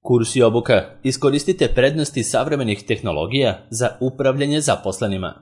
Kurs i obuka. Iskoristite prednosti savremenih tehnologija za upravljanje zaposlenima.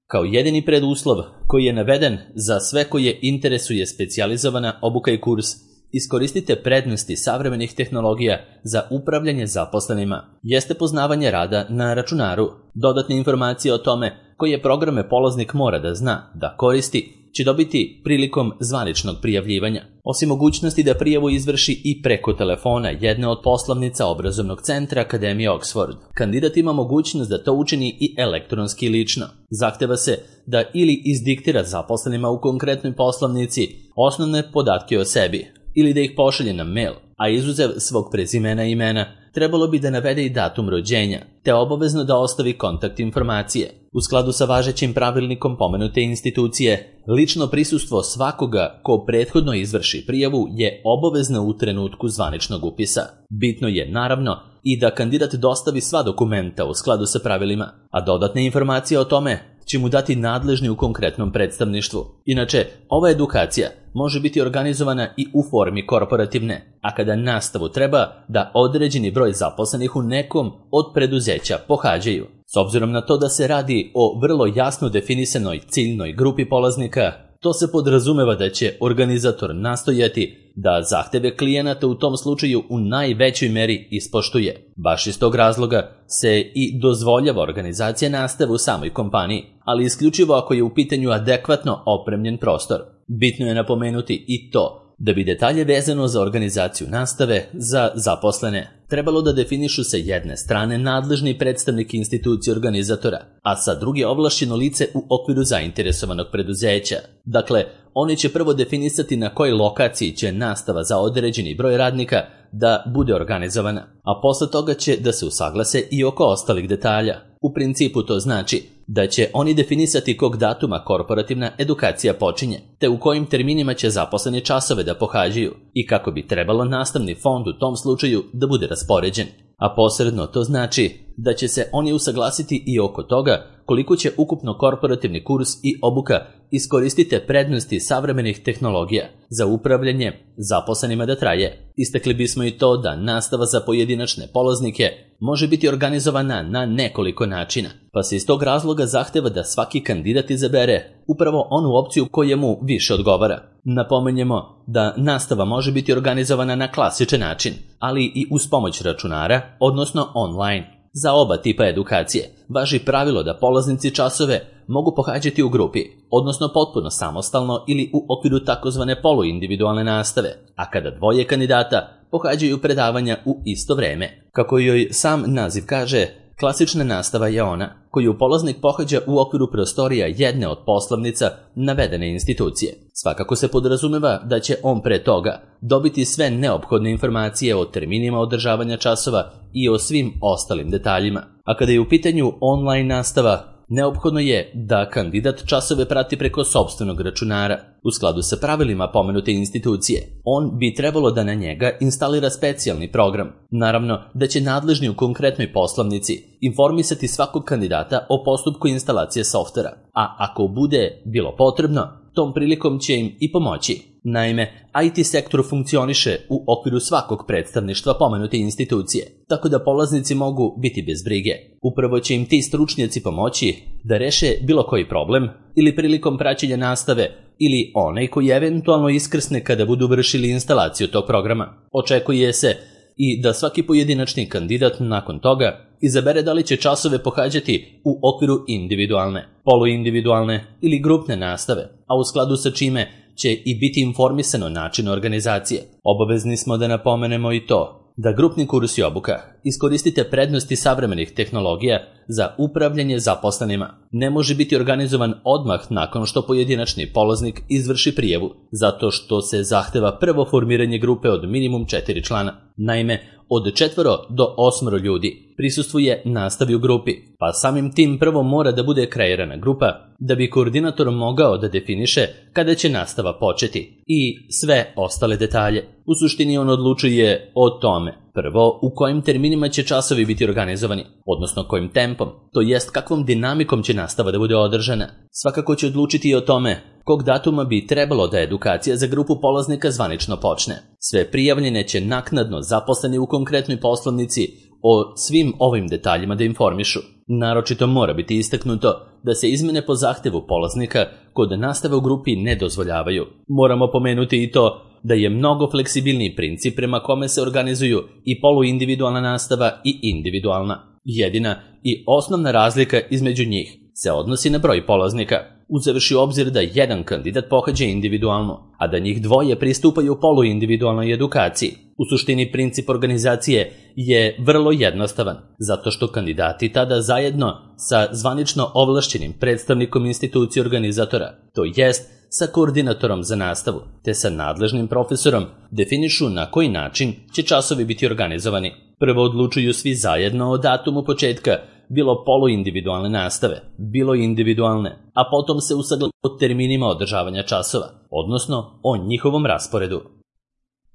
Kao jedini preduslov koji je naveden za sve koje interesuje specijalizovana obuka i kurs, iskoristite prednosti savremenih tehnologija za upravljanje zaposlenima. Jeste poznavanje rada na računaru. Dodatne informacije o tome koje programe polaznik mora da zna, da koristi, će dobiti prilikom zvaničnog prijavljivanja. Osim mogućnosti da prijavu izvrši i preko telefona jedne od poslovnica obrazovnog centra Akademije Oxford, kandidat ima mogućnost da to učini i elektronski lično. Zahteva se da ili izdiktira zaposlenima u konkretnoj poslovnici osnovne podatke o sebi, ili da ih pošalje na mail, a izuzev svog prezimena i imena, trebalo bi da navede i datum rođenja, te obavezno da ostavi kontakt informacije. U skladu sa važećim pravilnikom pomenute institucije, lično prisustvo svakoga ko prethodno izvrši prijavu je obavezno u trenutku zvaničnog upisa. Bitno je, naravno, i da kandidat dostavi sva dokumenta u skladu sa pravilima, a dodatne informacije o tome će mu dati nadležni u konkretnom predstavništvu. Inače, ova edukacija može biti organizovana i u formi korporativne, a kada nastavu treba da određeni broj zaposlenih u nekom od preduzeća pohađaju. S obzirom na to da se radi o vrlo jasno definisanoj ciljnoj grupi polaznika, to se podrazumeva da će organizator nastojati da zahteve klijenata u tom slučaju u najvećoj meri ispoštuje. Baš iz tog razloga se i dozvoljava organizacija nastave u samoj kompaniji, ali isključivo ako je u pitanju adekvatno opremljen prostor. Bitno je napomenuti i to da bi detalje vezano za organizaciju nastave za zaposlene trebalo da definišu sa jedne strane nadležni predstavnik institucije organizatora, a sa druge ovlašćeno lice u okviru zainteresovanog preduzeća. Dakle, oni će prvo definisati na kojoj lokaciji će nastava za određeni broj radnika da bude organizovana, a posle toga će da se usaglase i oko ostalih detalja. U principu to znači da će oni definisati kog datuma korporativna edukacija počinje, te u kojim terminima će zaposleni časove da pohađaju i kako bi trebalo nastavni fond u tom slučaju da bude raspoređen. A posredno to znači da će se oni usaglasiti i oko toga koliko će ukupno korporativni kurs i obuka iskoristiti prednosti savremenih tehnologija za upravljanje zaposlenima da traje. Istakli bismo i to da nastava za pojedinačne polaznike može biti organizovana na nekoliko načina, pa se iz tog razloga zahteva da svaki kandidat izabere upravo onu opciju koja mu više odgovara. Napomenjemo da nastava može biti organizovana na klasičan način, ali i uz pomoć računara, odnosno online. Za oba tipa edukacije važi pravilo da polaznici časove mogu pohađati u grupi, odnosno potpuno samostalno ili u okviru takozvane poluindividualne nastave, a kada dvoje kandidata pohađaju predavanja u isto vreme. Kako joj sam naziv kaže, klasična nastava je ona koju polaznik pohađa u okviru prostorija jedne od poslovnica navedene institucije. Svakako se podrazumeva da će on pre toga dobiti sve neophodne informacije o terminima održavanja časova i o svim ostalim detaljima. A kada je u pitanju online nastava, neophodno je da kandidat časove prati preko sopstvenog računara. U skladu sa pravilima pomenute institucije, on bi trebalo da na njega instalira specijalni program. Naravno da će nadležni u konkretnoj poslovnici informisati svakog kandidata o postupku instalacije softvera, a ako bude bilo potrebno, tom prilikom će im i pomoći. Naime, IT sektor funkcioniše u okviru svakog predstavništva pomenute institucije, tako da polaznici mogu biti bez brige. Upravo će im ti stručnjaci pomoći da reše bilo koji problem ili prilikom praćenja nastave ili onaj koji eventualno iskrsne kada budu vršili instalaciju tog programa. Očekuje se i da svaki pojedinačni kandidat nakon toga izabere da li će časove pohađati u okviru individualne, poluindividualne ili grupne nastave, a u skladu sa čime će i biti informisano način organizacije. Obavezni smo da napomenemo i to da grupni kurs i obuka iskoristite prednosti savremenih tehnologija za upravljanje zaposlenima ne može biti organizovan odmah nakon što pojedinačni polaznik izvrši prijavu, zato što se zahteva prvo formiranje grupe od minimum 4 člana. Naime, od 4 do 8 ljudi prisustvuje nastavi u grupi, pa samim tim prvo mora da bude kreirana grupa da bi koordinator mogao da definiše kada će nastava početi i sve ostale detalje. U suštini on odlučuje o tome Prvo, u kojim terminima će časovi biti organizovani, odnosno kojim tempom, to jest kakvom dinamikom će nastava da bude održana. Svakako će odlučiti i o tome kog datuma bi trebalo da edukacija za grupu polaznika zvanično počne. Sve prijavljene će naknadno zaposleni u konkretnoj poslovnici o svim ovim detaljima da informišu. Naročito mora biti istaknuto da se izmene po zahtevu polaznika kod nastave u grupi ne dozvoljavaju. Moramo pomenuti i to da je mnogo fleksibilniji princip prema kome se organizuju i poluindividualna nastava i individualna. Jedina i osnovna razlika između njih se odnosi na broj polaznika, uzevši u obzir da jedan kandidat pohađa individualno, a da njih dvoje pristupaju poluindividualnoj edukaciji. U suštini princip organizacije je vrlo jednostavan, zato što kandidati tada zajedno sa zvanično ovlašćenim predstavnikom institucije organizatora, to jest sa koordinatorom za nastavu, te sa nadležnim profesorom, definišu na koji način će časovi biti organizovani. Prvo odlučuju svi zajedno o datumu početka, bilo poluindividualne nastave, bilo individualne, a potom se usaglase o terminima održavanja časova, odnosno o njihovom rasporedu.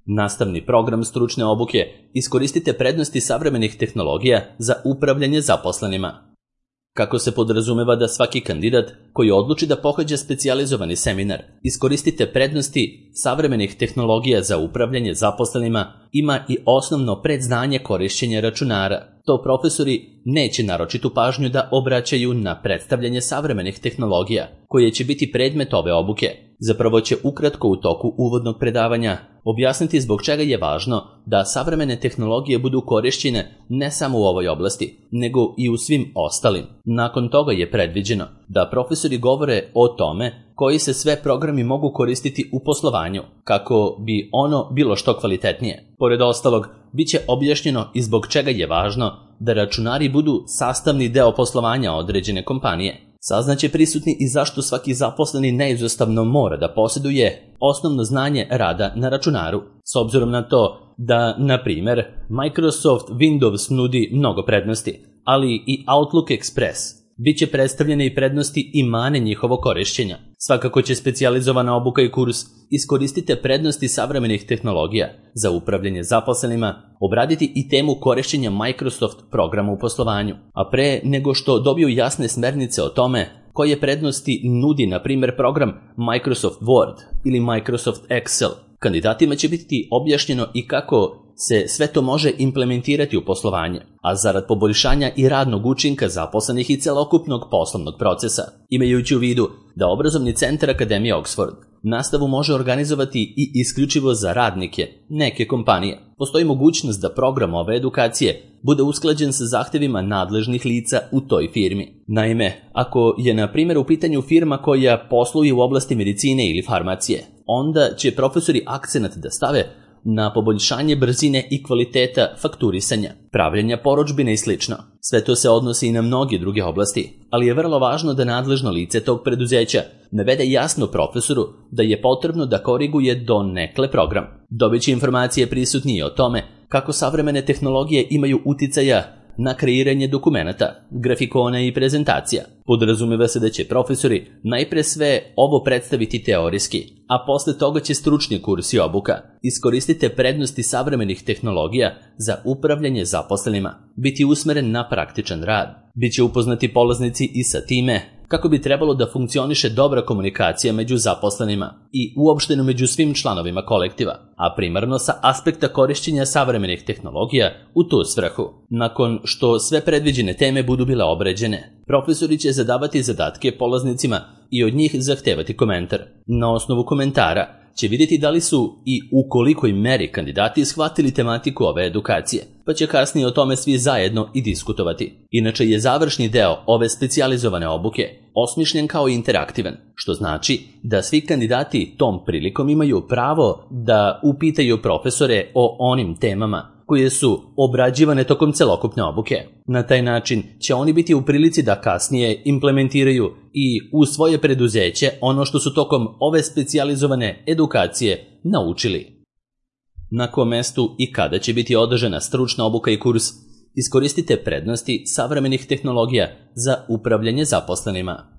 Nastavni program stručne obuke iskoristite prednosti savremenih tehnologija za upravljanje zaposlenima. Kako se podrazumeva da svaki kandidat koji odluči da pohađa specijalizovani seminar, iskoristite prednosti savremenih tehnologija za upravljanje zaposlenima, ima i osnovno predznanje korišćenja računara. To profesori neće naročitu pažnju da obraćaju na predstavljanje savremenih tehnologija, koje će biti predmet ove obuke. Zapravo će ukratko u toku uvodnog predavanja objasniti zbog čega je važno da savremene tehnologije budu korišćene ne samo u ovoj oblasti, nego i u svim ostalim. Nakon toga je predviđeno da profesori govore o tome koji se sve programi mogu koristiti u poslovanju, kako bi ono bilo što kvalitetnije. Pored ostalog, bit će objašnjeno i zbog čega je važno da računari budu sastavni deo poslovanja određene kompanije. Saznaće prisutni i zašto svaki zaposleni neizostavno mora da posjeduje osnovno znanje rada na računaru, s obzirom na to da, na primjer, Microsoft Windows nudi mnogo prednosti, ali i Outlook Express. Biće predstavljene i prednosti i mane njihovo korišćenja. Svakako će specijalizovana obuka i kurs iskoristite prednosti savremenih tehnologija za upravljanje zaposlenima, obraditi i temu korišćenja Microsoft programa u poslovanju, a pre nego što dobiju jasne smernice o tome koje prednosti nudi, na primjer, program Microsoft Word ili Microsoft Excel, kandidatima će biti objašnjeno i kako se sve to može implementirati u poslovanje, a zarad poboljšanja i radnog učinka zaposlenih i celokupnog poslovnog procesa, imajući u vidu da obrazovni centar Akademije Oxford nastavu može organizovati i isključivo za radnike neke kompanije. Postoji mogućnost da program ove edukacije bude usklađen sa zahtevima nadležnih lica u toj firmi. Naime, ako je na primjer u pitanju firma koja posluje u oblasti medicine ili farmacije, onda će profesori akcenat da stave na poboljšanje brzine i kvaliteta fakturisanja, pravljenja porudžbine i sl. Sve to se odnosi i na mnoge druge oblasti, ali je vrlo važno da nadležno lice tog preduzeća navede jasno profesoru da je potrebno da koriguje donekle program. Dobiće informacije prisutnije o tome kako savremene tehnologije imaju uticaja na kreiranje dokumenata, grafikona i prezentacija. Podrazumeva se da će profesori najpre sve ovo predstaviti teorijski, a posle toga će stručni kurs i obuka. Iskoristite prednosti savremenih tehnologija za upravljanje zaposlenima, biti usmeren na praktičan rad. Biće upoznati polaznici i sa time kako bi trebalo da funkcioniše dobra komunikacija među zaposlenima i uopšteno među svim članovima kolektiva, a primarno sa aspekta korišćenja savremenih tehnologija u tu svrhu. Nakon što sve predviđene teme budu bile obrađene, profesori će zadavati zadatke polaznicima i od njih zahtevati komentar. Na osnovu komentara će vidjeti da li su i u kolikoj meri kandidati shvatili tematiku ove edukacije, pa će kasnije o tome svi zajedno i diskutovati. Inače je završni deo ove specijalizovane obuke osmišljen kao interaktivan, što znači da svi kandidati tom prilikom imaju pravo da upitaju profesore o onim temama koje su obrađivane tokom celokupne obuke. Na taj način će oni biti u prilici da kasnije implementiraju i u svoje preduzeće ono što su tokom ove specijalizovane edukacije naučili. Na kom mestu i kada će biti održana stručna obuka i kurs, iskoristite prednosti savremenih tehnologija za upravljanje zaposlenima.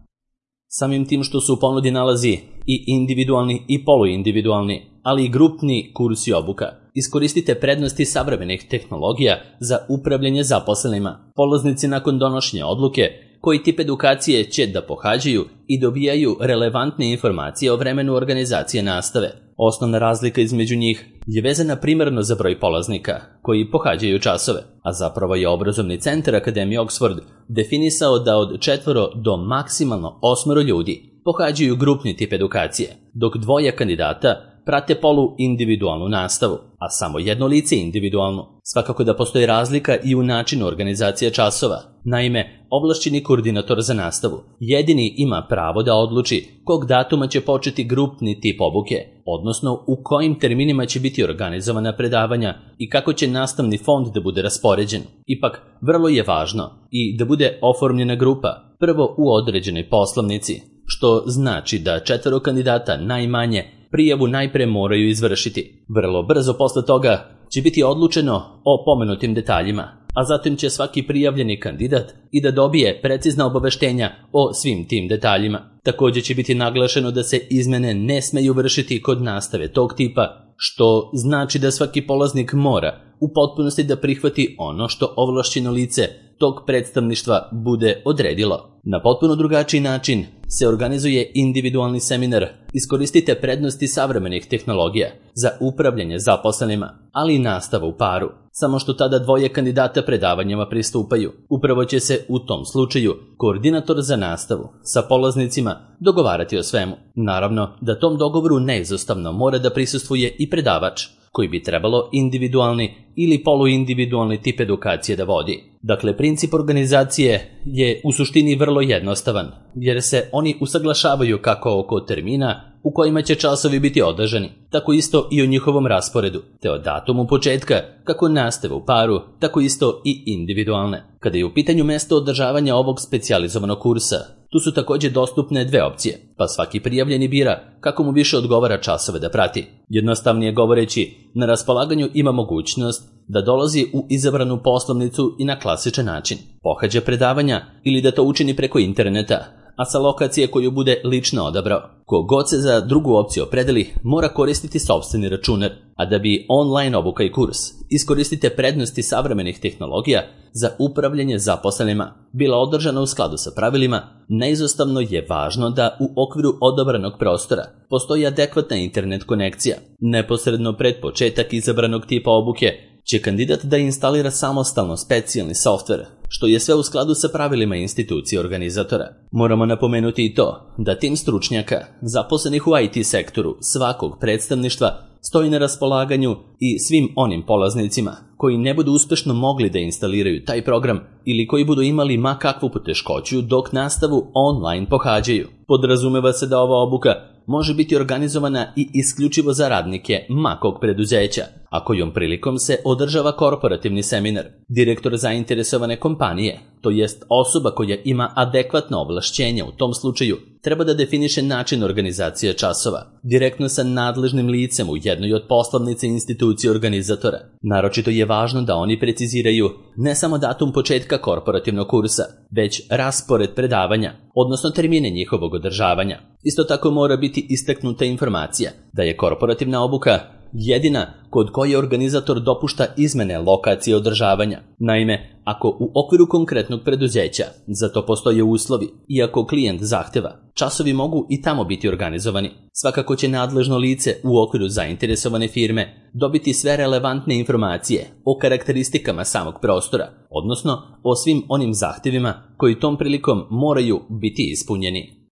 Samim tim što su u ponudi nalazi i individualni i poluindividualni, ali i grupni kurs i obuka. Iskoristite prednosti savremenih tehnologija za upravljanje zaposlenima. Polaznici nakon donošenja odluke koji tip edukacije će da pohađaju i dobijaju relevantne informacije o vremenu organizacije nastave. Osnovna razlika između njih je vezana primarno za broj polaznika koji pohađaju časove, a zapravo je obrazovni centar Akademije Oxford definisao da od 4 do maksimalno 8 ljudi pohađaju grupni tip edukacije, dok 2 kandidata prate polu-individualnu nastavu, a samo 1 lice individualnu. Svakako da postoji razlika i u načinu organizacije časova. Naime, ovlašćeni koordinator za nastavu jedini ima pravo da odluči kog datuma će početi grupni tip obuke, odnosno u kojim terminima će biti organizovana predavanja i kako će nastavni fond da bude raspoređen. Ipak, vrlo je važno i da bude oformljena grupa, prvo u određenoj poslovnici, što znači da 4 kandidata najmanje prijavu najpre moraju izvršiti. Vrlo brzo posle toga će biti odlučeno o pomenutim detaljima, a zatim će svaki prijavljeni kandidat i da dobije precizna obaveštenja o svim tim detaljima. Također će biti naglašeno da se izmene ne smeju vršiti kod nastave tog tipa, što znači da svaki polaznik mora u potpunosti da prihvati ono što ovlašćeno lice tog predstavništva bude odredilo. Na potpuno drugačiji način se organizuje individualni seminar. Iskoristite prednosti savremenih tehnologija za upravljanje zaposlenima, ali i nastavu u paru. Samo što tada 2 kandidata predavanjima pristupaju. Upravo će se u tom slučaju koordinator za nastavu sa polaznicima dogovarati o svemu. Naravno da tom dogovoru neizostavno mora da prisustvuje i predavač, koji bi trebalo individualni ili poluindividualni tip edukacije da vodi. Dakle, princip organizacije je u suštini vrlo jednostavan, jer se oni usaglašavaju kako oko termina u kojima će časovi biti održani, tako isto i o njihovom rasporedu, te o datumu početka, kako nastave u paru, tako isto i individualne. Kada je u pitanju mesto održavanja ovog specijalizovanog kursa, tu su također dostupne 2 opcije, pa svaki prijavljeni bira kako mu više odgovara časove da prati. Jednostavnije govoreći, na raspolaganju ima mogućnost da dolazi u izabranu poslovnicu i na klasičan način pohađa predavanja ili da to učini preko interneta, a sa lokacije koju bude lično odabrao. Kogod se za drugu opciju opredeli, mora koristiti sopstveni računar, a da bi online obuka i kurs iskoristite prednosti savremenih tehnologija za upravljanje zaposlenima bila održana u skladu sa pravilima, neizostavno je važno da u okviru odabranog prostora postoji adekvatna internet konekcija. Neposredno pred početak izabranog tipa obuke će kandidat da instalira samostalno specijalni softver, što je sve u skladu sa pravilima institucije organizatora. Moramo napomenuti i to da tim stručnjaka, zaposlenih u IT sektoru svakog predstavništva, stoji na raspolaganju i svim onim polaznicima koji ne budu uspešno mogli da instaliraju taj program ili koji budu imali ma kakvu poteškoću dok nastavu online pohađaju. Podrazumeva se da ova obuka može biti organizovana i isključivo za radnike makog preduzeća, a kojom prilikom se održava korporativni seminar. Direktor zainteresovane kompanije, to jest osoba koja ima adekvatno ovlašćenja u tom slučaju, treba da definiše način organizacije časova, direktno sa nadležnim licem u jednoj od poslovnice institucije organizatora. Naročito je važno da oni preciziraju ne samo datum početka korporativnog kursa, već raspored predavanja, odnosno termine njihovog održavanja. Isto tako mora biti istaknuta informacija da je korporativna obuka jedina kod koje organizator dopušta izmene lokacije održavanja. Naime, ako u okviru konkretnog preduzeća za to postoje uslovi i ako klijent zahteva, časovi mogu i tamo biti organizovani. Svakako će nadležno lice u okviru zainteresovane firme dobiti sve relevantne informacije o karakteristikama samog prostora, odnosno o svim onim zahtevima koji tom prilikom moraju biti ispunjeni.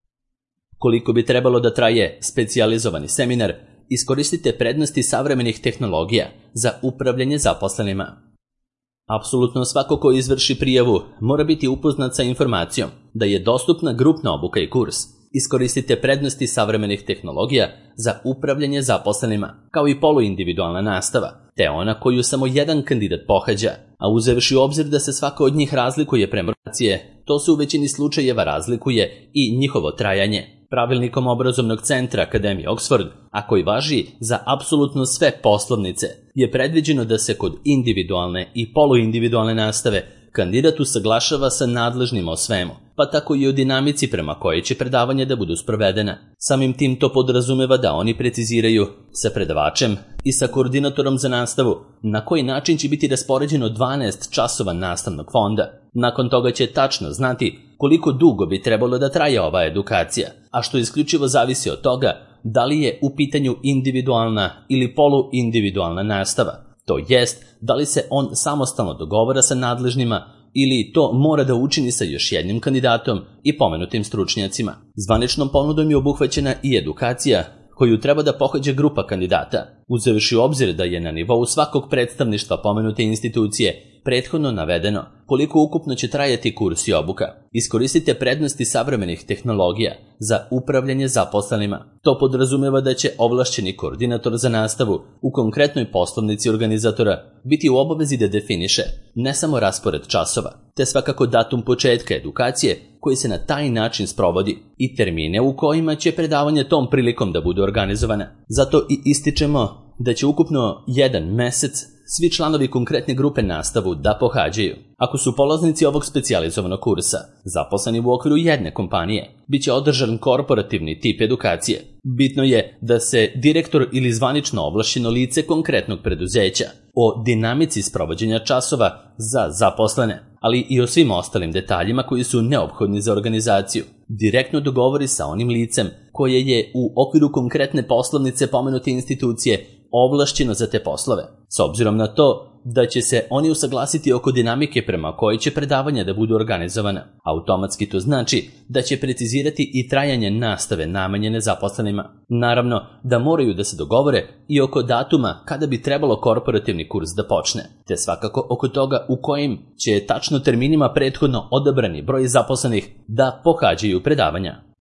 Koliko bi trebalo da traje specijalizovani seminar, iskoristite prednosti savremenih tehnologija za upravljanje zaposlenima. Apsolutno svako ko izvrši prijavu mora biti upoznat sa informacijom da je dostupna grupna obuka i kurs. Iskoristite prednosti savremenih tehnologija za upravljanje zaposlenima, kao i poluindividualna nastava, te ona koju samo jedan kandidat pohađa, a uzevši u obzir da se svaka od njih razlikuje prema organizacije, to se u većini slučajeva razlikuje i njihovo trajanje. Pravilnikom obrazovnog centra Akademije Oxford, a koji važi za apsolutno sve poslovnice, je predviđeno da se kod individualne i poluindividualne nastave kandidat usaglašava sa nadležnima o svemu, pa tako i o dinamici prema kojoj će predavanje da budu sprovedena. Samim tim to podrazumeva da oni preciziraju sa predavačem i sa koordinatorom za nastavu na koji način će biti raspoređeno 12 časova nastavnog fonda. Nakon toga će tačno znati koliko dugo bi trebalo da traje ova edukacija, a što isključivo zavisi od toga da li je u pitanju individualna ili poluindividualna nastava. To jest, da li se on samostalno dogovara sa nadležnima ili to mora da učini sa još jednim kandidatom i pomenutim stručnjacima. Zvaničnom ponudom je obuhvaćena i edukacija koju treba da pohađa grupa kandidata, uzevši u obzir da je na nivou svakog predstavništva pomenute institucije prethodno navedeno koliko ukupno će trajati kurs i obuka. Iskoristite prednosti savremenih tehnologija za upravljanje zaposlenima. To podrazumeva da će ovlašćeni koordinator za nastavu u konkretnoj poslovnici organizatora biti u obavezi da definiše ne samo raspored časova, te svakako datum početka edukacije koji se na taj način sprovodi i termine u kojima će predavanje tom prilikom da budu organizovane. Zato i ističemo da će ukupno 1 mesec svi članovi konkretne grupe nastavu da pohađaju. Ako su polaznici ovog specijalizovanog kursa zaposleni u okviru jedne kompanije, bit će održan korporativni tip edukacije. Bitno je da se direktor ili zvanično ovlašćeno lice konkretnog preduzeća o dinamici sprovođenja časova za zaposlene, ali i o svim ostalim detaljima koji su neophodni za organizaciju, direktno dogovori sa onim licem koje je u okviru konkretne poslovnice pomenute institucije ovlašćeno za te poslove. S obzirom na to da će se oni usaglasiti oko dinamike prema kojoj će predavanja da budu organizovana, automatski to znači da će precizirati i trajanje nastave namenjene zaposlenima. Naravno da moraju da se dogovore i oko datuma kada bi trebalo korporativni kurs da počne, te svakako oko toga u kojim će tačno terminima prethodno odabrani broj zaposlenih da pohađaju predavanja.